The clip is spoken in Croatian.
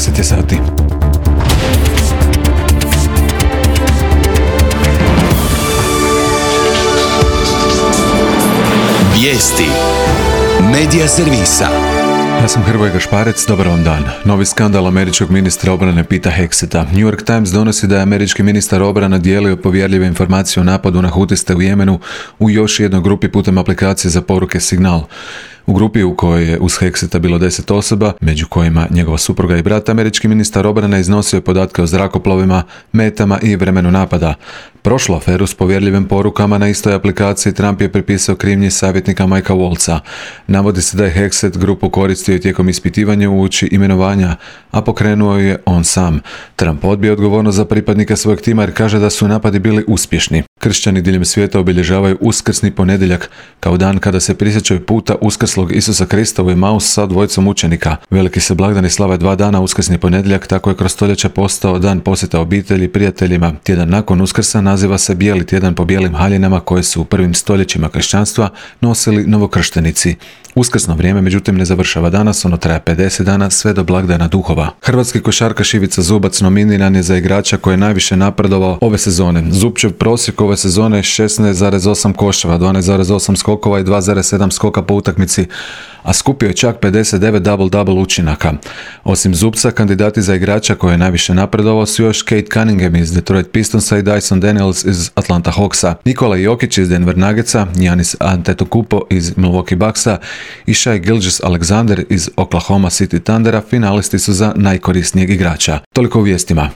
10 je sati. Vijesti Medija servisa. Ja sam Hrvoje Gašparec, dobar vam dan. Novi skandal američkog ministra obrane Peta Hegseta. New York Times donosi da je američki ministar obrane dijelio povjerljive informacije o napadu na hutiste u Jemenu u još jednoj grupi putem aplikacije za poruke Signal. U grupi u kojoj je uz Hegseta bilo 10 osoba, među kojima njegova supruga i brat, američki ministar obrane iznosio je podatke o zrakoplovima, metama i vremenu napada. Prošlu aferu s povjerljivim porukama na istoj aplikaciji Trump je pripisao krivnji savjetnika Mikea Waltza. Navodi se da je Hegset grupu koristio tijekom ispitivanja uoči imenovanja, a pokrenuo je on sam. Trump odbija odgovornost za pripadnike svojeg tima jer kaže da su napadi bili uspješni. Kršćani diljem svijeta obilježavaju uskrsni ponedjeljak kao dan kada se prisjećaju puta uskrslog Isusa Krista u Emaus sa dvojicom učenika. Veliki se blagdani slave 2 dana, uskrsni ponedjeljak tako je kroz stoljeća postao dan posjeta obitelji i prijateljima. Tjedan nakon Uskrsa naziva se Bijeli tjedan po bijelim haljinama koje su u prvim stoljećima kršćanstva nosili novokrštenici. Uskrsno vrijeme međutim ne završava danas, ono traje 50 dana sve do blagdana duhova. Hrvatski košarkaš Ivica Zubac nominiran je za igrača koji je najviše napredovao ove sezone. Zubčev prosjek ove sezone je 16,8 koševa, 12,8 skokova i 2,7 skoka po utakmici, a skupio je čak 59 double-double učinaka. Osim Zubca, kandidati za igrača koji je najviše napredovao su još Kate Cunningham iz Detroit Pistonsa i Dyson Daniels iz Atlanta Hawksa, Nikola Jokić iz Denver Nuggetsa, Giannis Antetokounmpo iz Milwaukee Bucksa i Shai Gilgeous-Alexander iz Oklahoma City Thundera finalisti su za najkorisnijeg igrača. Toliko u vijestima.